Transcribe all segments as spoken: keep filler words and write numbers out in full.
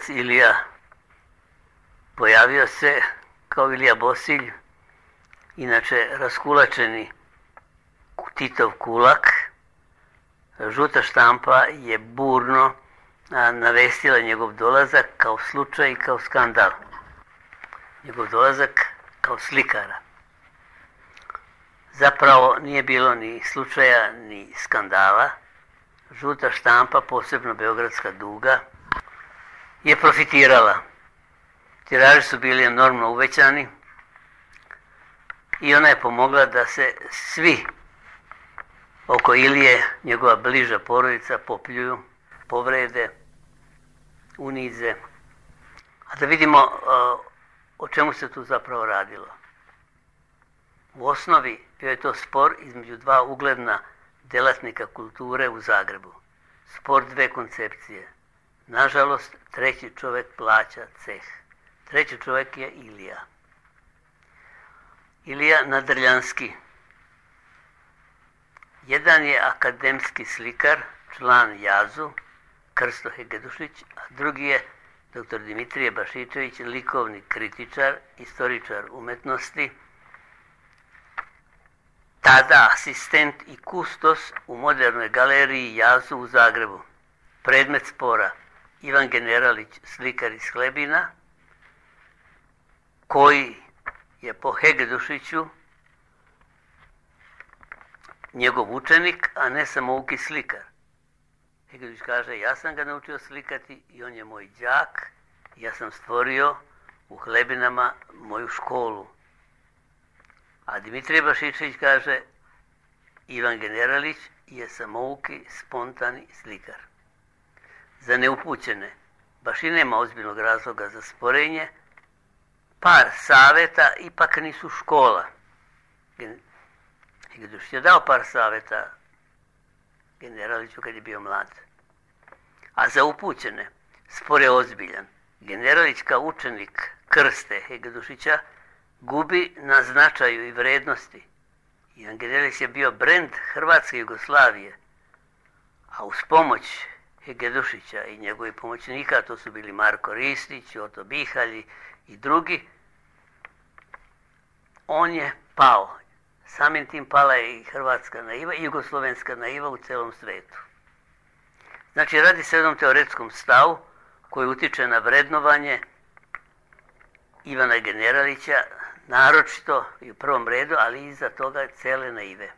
otec Ilija pojavio se kao Ilija Bosilj, inače raskulačeni Titov kulak. Žuta štampa je burno navestila njegov dolazak kao slučaj i kao skandal. Njegov dolazak kao slikara. Zapravo nije bilo ni slučaja ni skandala. Žuta štampa, posebno Beogradska duga, je profitirala. Tiraži su bili enormno uvećani i ona je pomogla da se svi oko Ilije, njegova bliža porodica, popljuju, povrede, unize. A da vidimo uh, o čemu se tu zapravo radilo. U osnovi bio je to spor između dva ugledna djelatnika kulture u Zagrebu. Spor dve koncepcije. Nažalost, treći čovjek plaća ceh. Treći čovjek je Ilija. Ilija Nadrljanski. Jedan je akademski slikar, član Jazu, Krsto Hegedušić, a drugi je doktor Dimitrije Bašičević, likovni kritičar, istoričar umetnosti, tada asistent i kustos u modernoj galeriji Jazu u Zagrebu. Predmet spora Ivan Generalić, slikar iz Hlebina, koji je po Hegedušiću njegov učenik, a ne samouki slikar. Hegedušić kaže, ja sam ga naučio slikati i on je moj đak, ja sam stvorio u Hlebinama moju školu. A Dimitrije Bašičević kaže, Ivan Generalić je samouki, spontani slikar. Za neupućene, baš i nema ozbiljnog razloga za sporenje, par savjeta ipak nisu škola. Hegedušić je dao par savjeta Generaliću kad je bio mlad. A za upućene, spor je ozbiljan. Generalić kao učenik Krste Hegedušića gubi na značaju i vrednosti. Ivan Generalić je bio brend Hrvatske Jugoslavije, a uz pomoć Hegedušića i njegovih pomoćnika, to su bili Marko Ristić, Oto Bihalji i drugi, on je pao. Samim tim pala je i hrvatska naiva i jugoslovenska naiva u celom svetu. Znači, radi se o jednom teoretskom stavu koji utiče na vrednovanje Ivana Generalića, naročito i u prvom redu, ali iza toga cele naive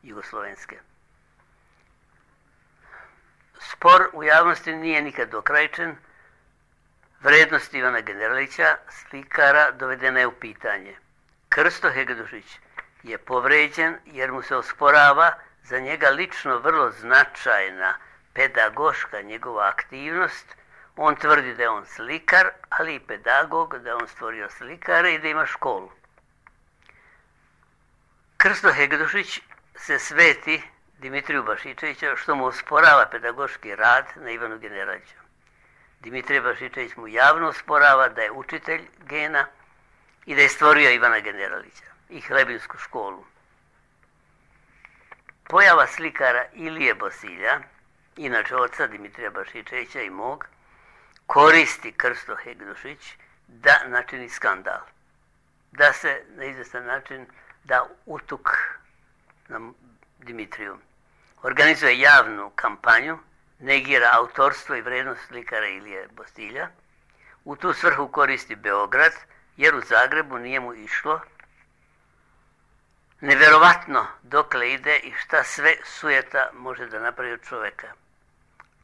jugoslovenske. Spor u javnosti nije nikad dokrajčen. Vrednost Ivana Generalića, slikara, dovedena je u pitanje. Krsto Hegedušić je povređen jer mu se osporava za njega lično vrlo značajna pedagoška njegova aktivnost. On tvrdi da je on slikar, ali i pedagog, da je on stvorio slikare i da ima školu. Krsto Hegedušić se sveti Dimitriju Bašičevića što mu osporava pedagoški rad na Ivanu Generaliću. Dimitrije Bašičević mu javno osporava da je učitelj gena i da je stvorio Ivana Generalića i Hlebinsku školu. Pojava slikara Ilije Bosilja, inače oca Dimitrija Bašičevića i mog, koristi Krsto Hegedušić da načini skandal. Da se na izvestan način da utuk na Dimitriju. Organizuje javnu kampanju, negira autorstvo i vrednost slikara Ilije Bosilja. U tu svrhu koristi Beograd, jer u Zagrebu nije mu išlo. Neverovatno dokle ide i šta sve sujeta može da napravi od čoveka.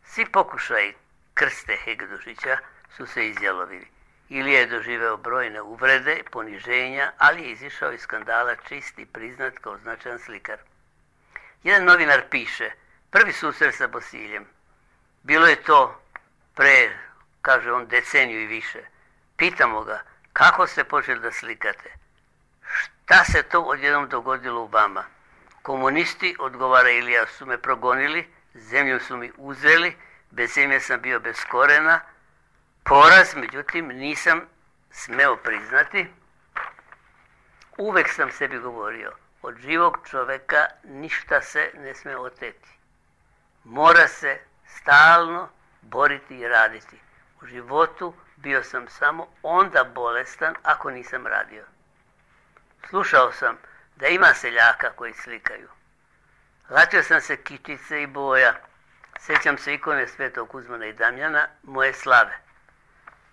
Svi pokušaji Krste Hegedušića su se izjalovili. Ilija je doživeo brojne uvrede, poniženja, ali je izišao iz skandala čist i priznat kao značajan slikar. Jedan novinar piše, prvi susret sa Bosiljem. Bilo je to pre, kaže on, deceniju i više. Pitamo ga, kako ste počeli da slikate? Šta se to odjednom dogodilo u vama? Komunisti, odgovara Ilija, su me progonili, zemlju su mi uzeli, bez zemlje sam bio bez korena. Poraz, međutim, nisam smeo priznati. Uvek sam sebi govorio, od živog čoveka ništa se ne sme oteti. Mora se stalno boriti i raditi. U životu bio sam samo onda bolestan ako nisam radio. Slušao sam da ima seljaka koji slikaju. Latio sam se kičice i boja. Sjećam se ikone Svetog Kuzmana i Damjana, moje slave.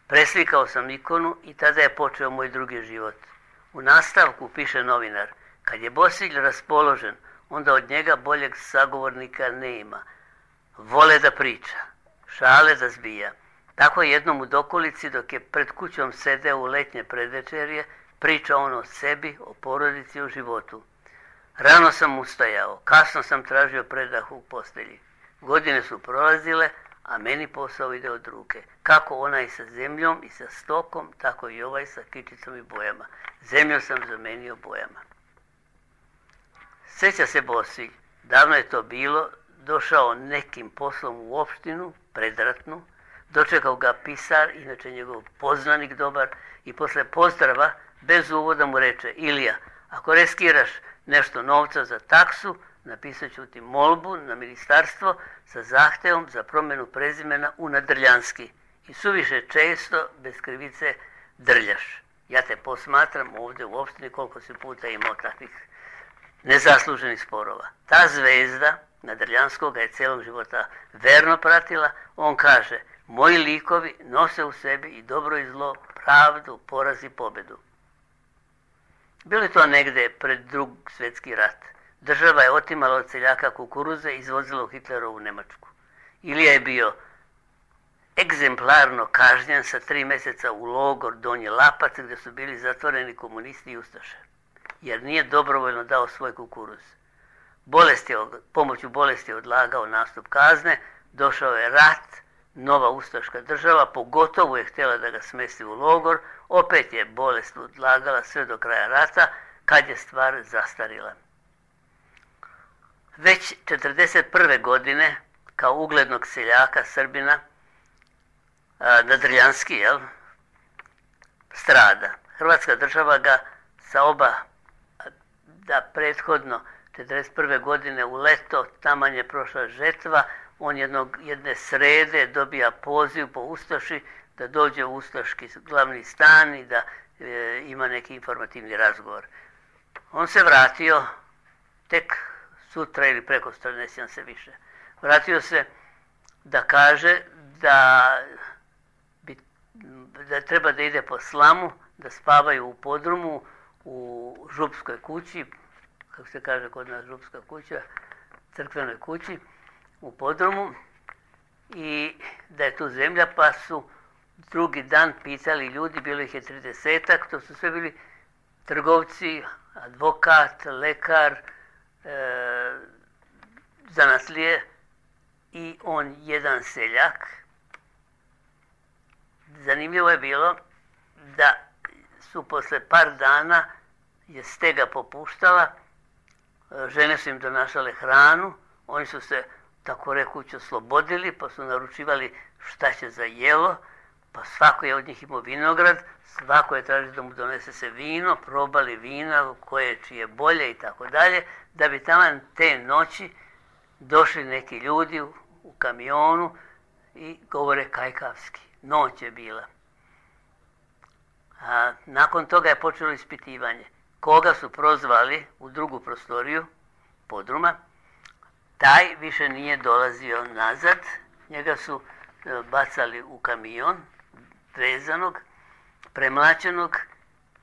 Preslikao sam ikonu i tada je počeo moj drugi život. U nastavku piše novinar, kad je Bosilj raspoložen, onda od njega boljeg sagovornika nema. Vole da priča, šale da zbija. Tako jednom u dokolici, dok je pred kućom sedeo u letnje predvečerje, priča on o sebi, o porodici, o životu. Rano sam ustajao, kasno sam tražio predah u postelji. Godine su prolazile, a meni posao ide od ruke. Kako onaj sa zemljom i sa stokom, tako i ovaj sa kičicom i bojama. Zemlju sam zamenio bojama. Sjeća se Bosilj, davno je to bilo, došao nekim poslom u opštinu, predratnu, dočekao ga pisar, inače njegov poznanik dobar, i posle pozdrava, bez uvoda mu reče, Ilija, ako riskiraš nešto novca za taksu, napisat ću ti molbu na ministarstvo sa zahtevom za promjenu prezimena u Nadrljanski. I suviše često, bez krivice, drljaš. Ja te posmatram ovdje u opštini koliko si puta imao takvih nezasluženih sporova. Ta zvezda Nadrljanskog ga je cijelog života verno pratila. On kaže, moji likovi nose u sebi i dobro i zlo, pravdu, poraz i pobedu. Bilo je to negdje pred Drugi svjetski rat. Država je otimala od seljaka kukuruze i izvozila u Hitlerovu Njemačku. Ilija je bio egzemplarno kažnjen sa tri mjeseca u logor Donji Lapac, gdje su bili zatvoreni komunisti i ustaše, jer nije dobrovoljno dao svoj kukuruz. Bolest je, pomoću bolesti je odlagao nastup kazne, došao je rat, nova ustaška država, pogotovo je htjela da ga smesti u logor, opet je bolest odlagala sve do kraja rata, kad je stvar zastarila. Već četrdeset prve godine, kao uglednog seljaka Srbina, Nadrljanski, jel, strada. Hrvatska država ga sa oba, da prethodno četrdeset prve godine u leto, taman je prošla žetva, on jednog, jedne srede dobija poziv po Ustaši da dođe u ustaški glavni stan i da e, ima neki informativni razgovor. On se vratio tek sutra ili prekosutra, ne sjećam se više. Vratio se da kaže da, bi, da treba da ide po slamu, da spavaju u podrumu, u župskoj kući, kako se kaže kod nas župska kuća, crkvenoj kući, u podrumu, i da je tu zemlja, pa su drugi dan pitali ljudi, bilo ih je tridesetak, to su sve bili trgovci, advokat, lekar, e, zanatlije i on jedan seljak. Zanimljivo je bilo da su posle par dana je stega popuštala, žene su im donašale hranu, oni su se tako rekući oslobodili, pa su naručivali šta će za jelo, pa svako je od njih imao vinograd, svako je tražio da mu donese se vino, probali vina, koje čije bolje i tako dalje, da bi taman te noći došli neki ljudi u, u kamionu i govore kajkavski. Noć je bila. A nakon toga je počelo ispitivanje. Koga su prozvali u drugu prostoriju podruma, taj više nije dolazio nazad, njega su bacali u kamion, vezanog, premlačenog,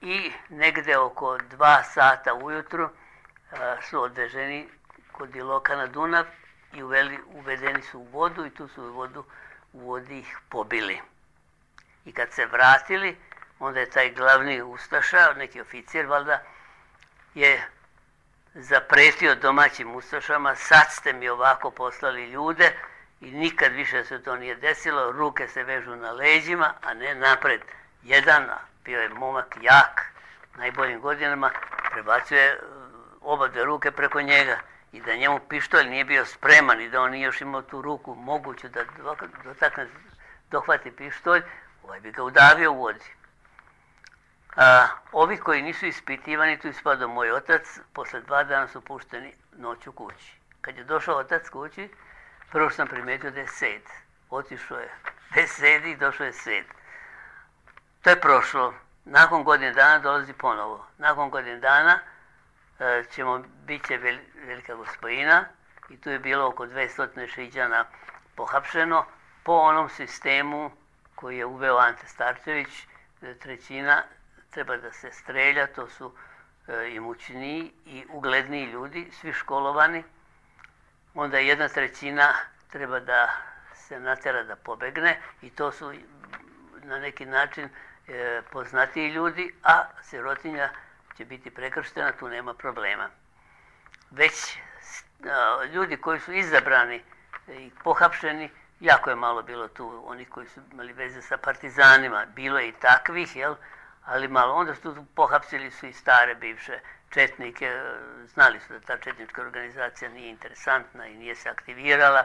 i negdje oko dva sata ujutru su odveženi kod Iloka na Dunav i uveli, uvedeni su u vodu i tu su u vodu u vodi ih pobili. I kad se vratili, onda je taj glavni ustaša, neki oficir valjda, je zapretio domaćim ustašama, sad ste mi ovako poslali ljude i nikad više se to nije desilo, ruke se vežu na leđima, a ne napred. Jedan, bio je momak jak, najboljim godinama, prebacuje oba dve ruke preko njega i da njemu pištolj nije bio spreman i da on nije još imao tu ruku moguću da dotakne, dohvati pištolj, ovaj bi ga udavio u vodi. A, ovi koji nisu ispitivani, tu ispadao moj otac, posle dva dana su pušteni noću kući. Kad je došao otac kući, prvo sam primetio da je sed. Otišao je bez sedi došao je sed. To je prošlo. Nakon godine dana dolazi ponovo. Nakon godine dana e, ćemo, bit će vel, velika gospojina i tu je bilo oko dvjesto šiđana pohapšeno po onom sistemu koji je uveo Ante Starčević. Trećina treba da se strelja, to su e, imućniji i ugledniji ljudi, svi školovani. Onda jedna trećina treba da se natjera da pobegne i to su na neki način e, poznatiji ljudi, a sirotinja će biti prekrštena, tu nema problema. Već a, ljudi koji su izabrani i pohapšeni, jako je malo bilo tu onih koji su imali veze sa partizanima, bilo je i takvih, jel? Ali malo. Onda su tu pohapsili su i stare bivše četnike, znali su da ta četnička organizacija nije interesantna i nije se aktivirala,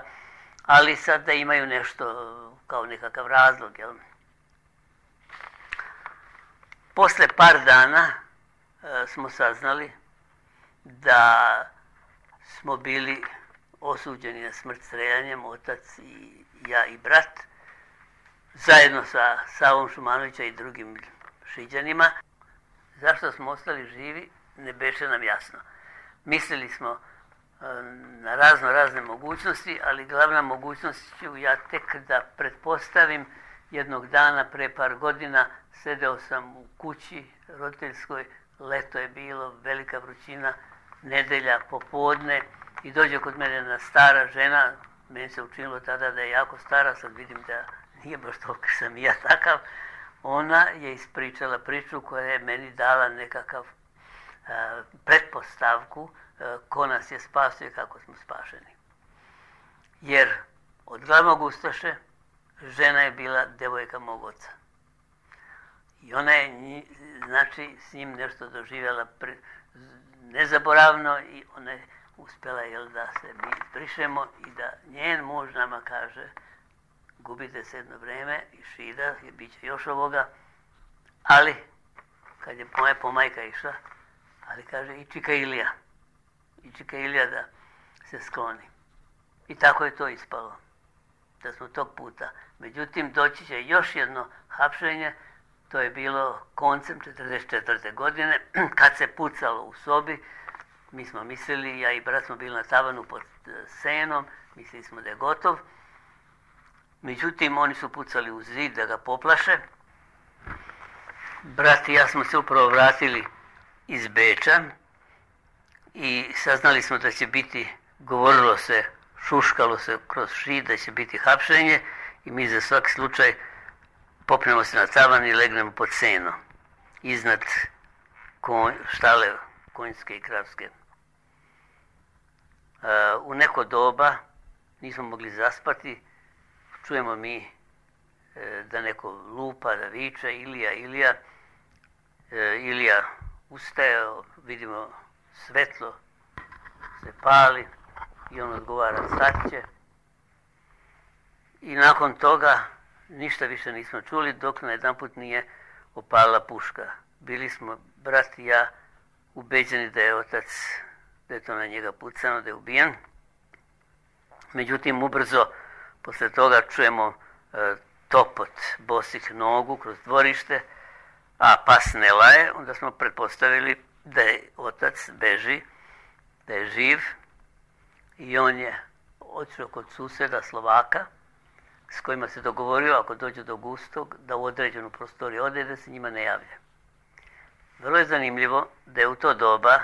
ali sad da imaju nešto kao nekakav razlog, jel? Posle par dana e, smo saznali da smo bili osuđeni na smrt streljanjem, otac i ja i brat, zajedno sa Savom Šumanovića i drugim šiđanima. Zašto smo ostali živi, ne beše nam jasno. Mislili smo e, na razno razne mogućnosti, ali glavna mogućnost ću ja tek da pretpostavim. Jednog dana, pre par godina, sedeo sam u kući roditeljskoj, leto je bilo, velika vrućina, nedelja, popodne, i dođe kod mene jedna stara žena, meni se učinilo tada da je jako stara, sad vidim da nije baš toliko sam i ja takav. Ona je ispričala priču koja je meni dala nekakav a, pretpostavku a, ko nas je spasio i kako smo spašeni. Jer od glavnog ustaše žena je bila devojka mog oca. I ona je, znači, s njim nešto doživjela pri, nezaboravno i ona je uspjela, jel, da se mi izbrišemo i da njen muž nama kaže gubite se jedno vreme i šida, je bit će još ovoga, ali, kad je moja pomajka išla, ali kaže i čika Ilija, i čika Ilija da se skloni. I tako je to ispalo, da smo tog puta. Međutim, doći će još jedno hapšenje, to je bilo koncem četrdeset četvrte godine, kad se pucalo u sobi. Mi smo mislili, ja i brat smo bili na tavanu pod senom, mislili smo da je gotov. Međutim, oni su pucali u zid da ga poplaše. Brat i ja smo se upravo vratili iz Beča i saznali smo da će biti, govorilo se, šuškalo se kroz šid da će biti hapšenje i mi za svaki slučaj popnemo se na tavan i legnemo pod seno, iznad konj, štale konjske i kravske. Uh, u neko doba nismo mogli zaspati, čujemo mi e, da neko lupa, da viče Ilija, Ilija. E, Ilija ustaje, vidimo svetlo se pali i on odgovara sad će. I nakon toga ništa više nismo čuli dok na jedan put nije opalila puška. Bili smo, brat i ja, ubeđeni da je otac, da je to na njega pucano, da je ubijen. Međutim, ubrzo posle toga čujemo e, topot bosih nogu kroz dvorište, a pas ne laje, onda smo pretpostavili da je otac beži, da je živ i on je otišao kod suseda Slovaka s kojima se dogovorio ako dođe do Gustog da u određenu prostoriju ode da se njima ne javlja. Vrlo je zanimljivo da je u to doba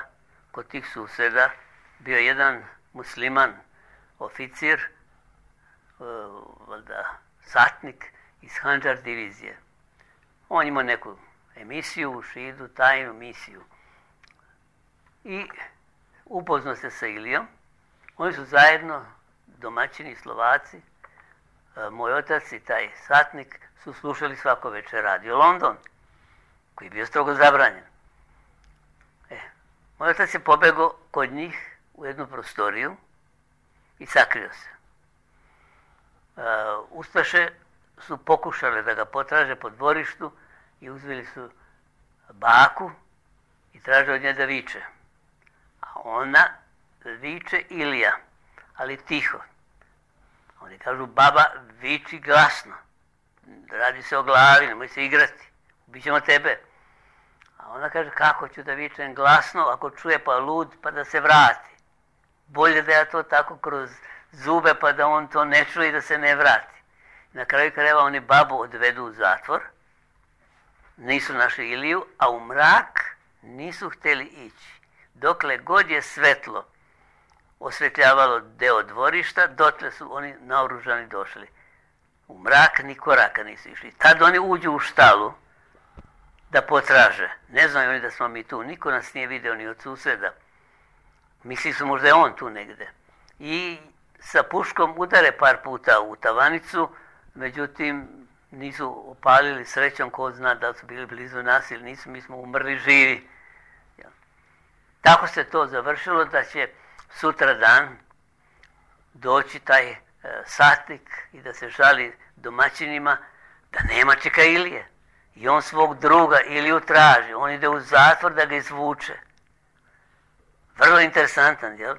kod tih suseda bio jedan musliman oficir, valjda satnik iz Handžar divizije. On imao neku emisiju u Šidu, tajnu misiju. I upoznao se sa Ilijom. Oni su zajedno, domaćini Slovaci, moj otac i taj satnik su slušali svako večer radio London, koji je bio strogo zabranjen. E, moj otac je pobegao kod njih u jednu prostoriju i sakrio se. Uh, Ustaše su pokušale da ga potraže po dvorištu i uzeli su baku i traže od nje da viče. A ona viče Ilija, ali tiho. Oni kažu, baba, viči glasno. radi se o glavi, nemoj se igrati, ubit ćemo tebe. A ona kaže, kako ću da vičem glasno, ako čuje pa lud, pa da se vrati. Bolje da ja to tako kroz zube, pa da on to ne čuje i da se ne vrati. Na kraju krajeva oni babu odvedu u zatvor, nisu našli Iliju, a u mrak nisu htjeli ići. Dokle god je svetlo osvetljavalo deo dvorišta, dotle su oni naoružani došli. U mrak ni koraka nisu išli. Tad oni uđu u štalu da potraže. Ne znaju oni da smo mi tu. Niko nas nije video ni od suseda. Misli su možda je on tu negde. I sa puškom udare par puta u tavanicu, međutim nisu opalili, srećom, ko zna da su bili blizu nas ili nisu, mi smo umrli živi. Tako se to završilo da će sutra dan doći taj e, satnik i da se žali domaćinima da nema čeka Ilije. I on svog druga Iliju traži. On ide u zatvor da ga izvuče. Vrlo interesantan, jel?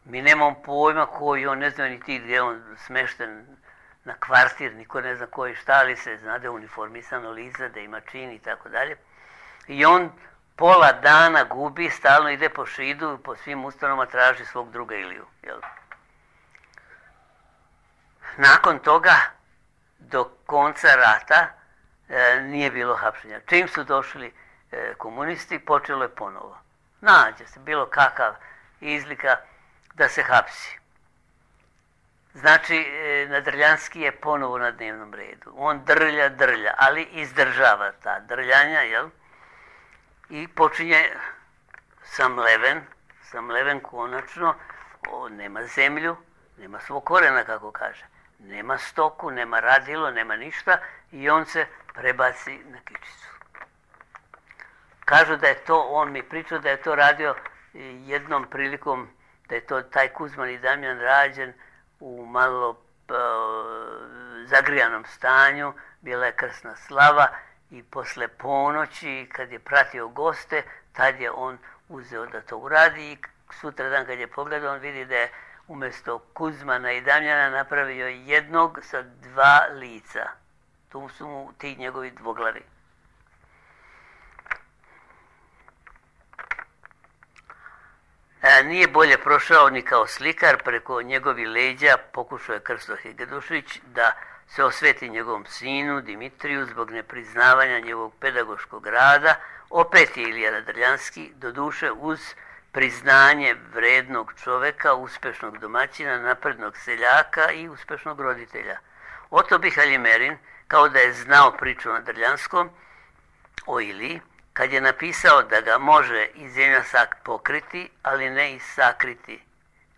Mi nemamo pojma koji on, ne znam ni ti gdje je on smešten na kvartir, niko ne zna koji šta, ali se zna da je uniformisano lice, da ima čin i tako dalje. I on pola dana gubi, stalno ide po Šidu, po svim ustanovama traži svog druga Iliju. Jel? Nakon toga, do konca rata, e, nije bilo hapšenja. Čim su došli e, komunisti, počelo je ponovo. Nađe se bilo kakav izlika da se hapsi. Znači, e, Nadrljanski je ponovo na dnevnom redu. On drlja, drlja, ali izdržava ta drljanja, jel? I počinje Samleven, Samleven konačno, o, nema zemlju, nema svog korena, kako kaže. Nema stoku, nema radilo, nema ništa i on se prebaci na kičicu. Kažu da je to, on mi pričao da je to radio jednom prilikom, da je to taj Kuzman i Damjan rađen u malo uh, zagrijanom stanju, bila je krsna slava i posle ponoći kad je pratio goste, tad je on uzeo da to uradi i sutra dan kad je pogledao on vidi da je umjesto Kuzmana i Damjana napravio jednog sa dva lica. Tu su mu ti njegovi dvoglavi. E, nije bolje prošao ni kao slikar, preko njegovi leđa pokušao je Krsto Hegedushić da se osveti njegovom sinu Dimitriju zbog nepriznavanja njegovog pedagoškog rada. Opet je Ilija Nadrljanski, doduše uz priznanje vrednog čoveka, uspešnog domaćina, naprednog seljaka i uspešnog roditelja. Oto bi Haljimerin, kao da je znao priču o Nadrljanskom, o Iliji, kad je napisao da ga može i zemljasak pokriti, ali ne i sakriti.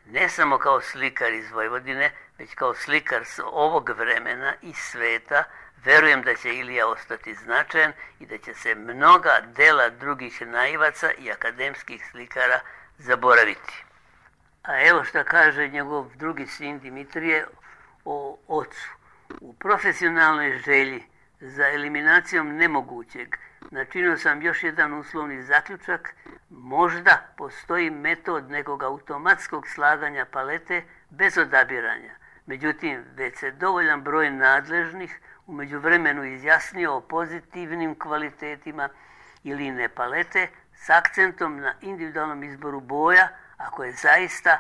Ne samo kao slikar iz Vojvodine, već kao slikar s ovog vremena i sveta, verujem da će Ilija ostati značajan i da će se mnoga dela drugih naivaca i akademskih slikara zaboraviti. A evo šta kaže njegov drugi sin Dimitrije o ocu. U profesionalnoj želji za eliminacijom nemogućeg načinio sam još jedan uslovni zaključak. Možda postoji metod nekog automatskog slaganja palete bez odabiranja. Međutim, već se dovoljan broj nadležnih u međuvremenu izjasnio o pozitivnim kvalitetima ili ne palete s akcentom na individualnom izboru boja, ako je zaista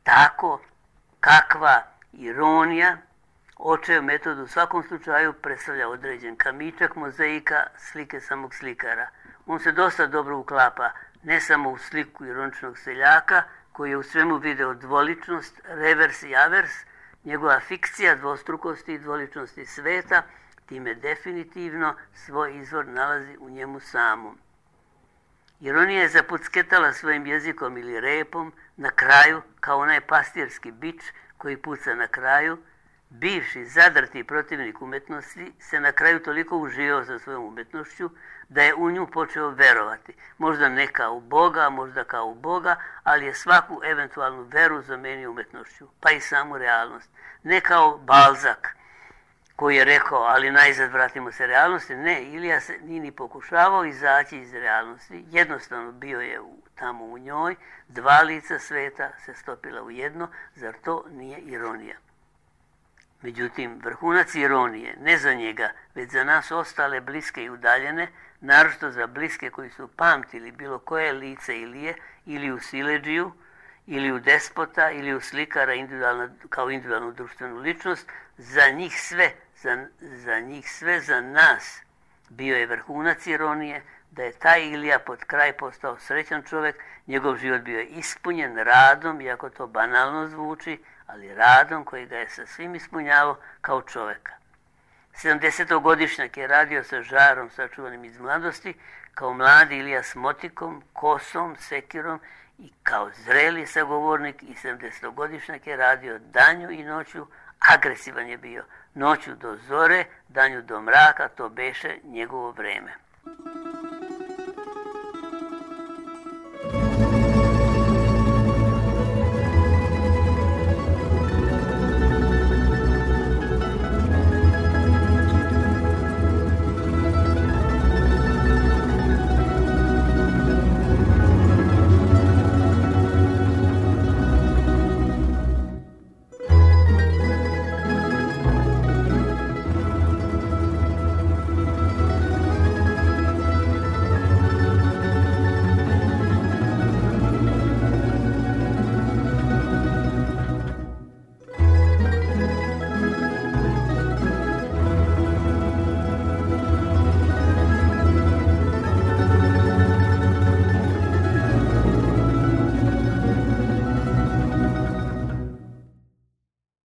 tako kakva ironija, očev metod u svakom slučaju predstavlja određen kamičak mozaika slike samog slikara. On se dosta dobro uklapa ne samo u sliku ironičnog seljaka, koji je u svemu video dvoličnost, revers i avers, njegova fikcija dvostrukosti i dvoličnosti sveta, time definitivno svoj izvor nalazi u njemu samom. Ironija je zapucketala svojim jezikom ili repom na kraju, kao onaj pastirski bič koji puca na kraju. Bivši zadrti protivnik umetnosti se na kraju toliko uživao sa svojom umetnošću da je u nju počeo verovati. Možda ne kao u Boga, možda kao u Boga, ali je svaku eventualnu veru zamenio umetnošću, pa i samu realnost. Ne kao Balzak koji je rekao, ali najzad vratimo se realnosti. Ne, Ilija se nije ni pokušavao izaći iz realnosti. Jednostavno bio je u, tamo u njoj, dva lica sveta se stopila u jedno, zar to nije ironija? Međutim, vrhunac ironije, ne za njega, već za nas ostale bliske i udaljene, naročito za bliske koji su pamtili bilo koje lice Ilije, ili u siledžiju, ili u despota, ili u slikara kao individualnu društvenu ličnost, za njih sve, za, za njih sve, za nas, bio je vrhunac ironije, da je taj Ilija pod kraj postao srećan čovjek, njegov život bio je ispunjen radom, iako to banalno zvuči, ali radom koji ga je sa svim ispunjavao kao čovjeka. sedamdesetogodišnjak je radio sa žarom sačuvanim iz mladosti, kao mladi Ilija s motikom, kosom, sekirom i kao zreli sagovornik, i sedamdesetogodišnjak je radio danju i noću, agresivan je bio, noću do zore, danju do mraka, to beše njegovo vreme.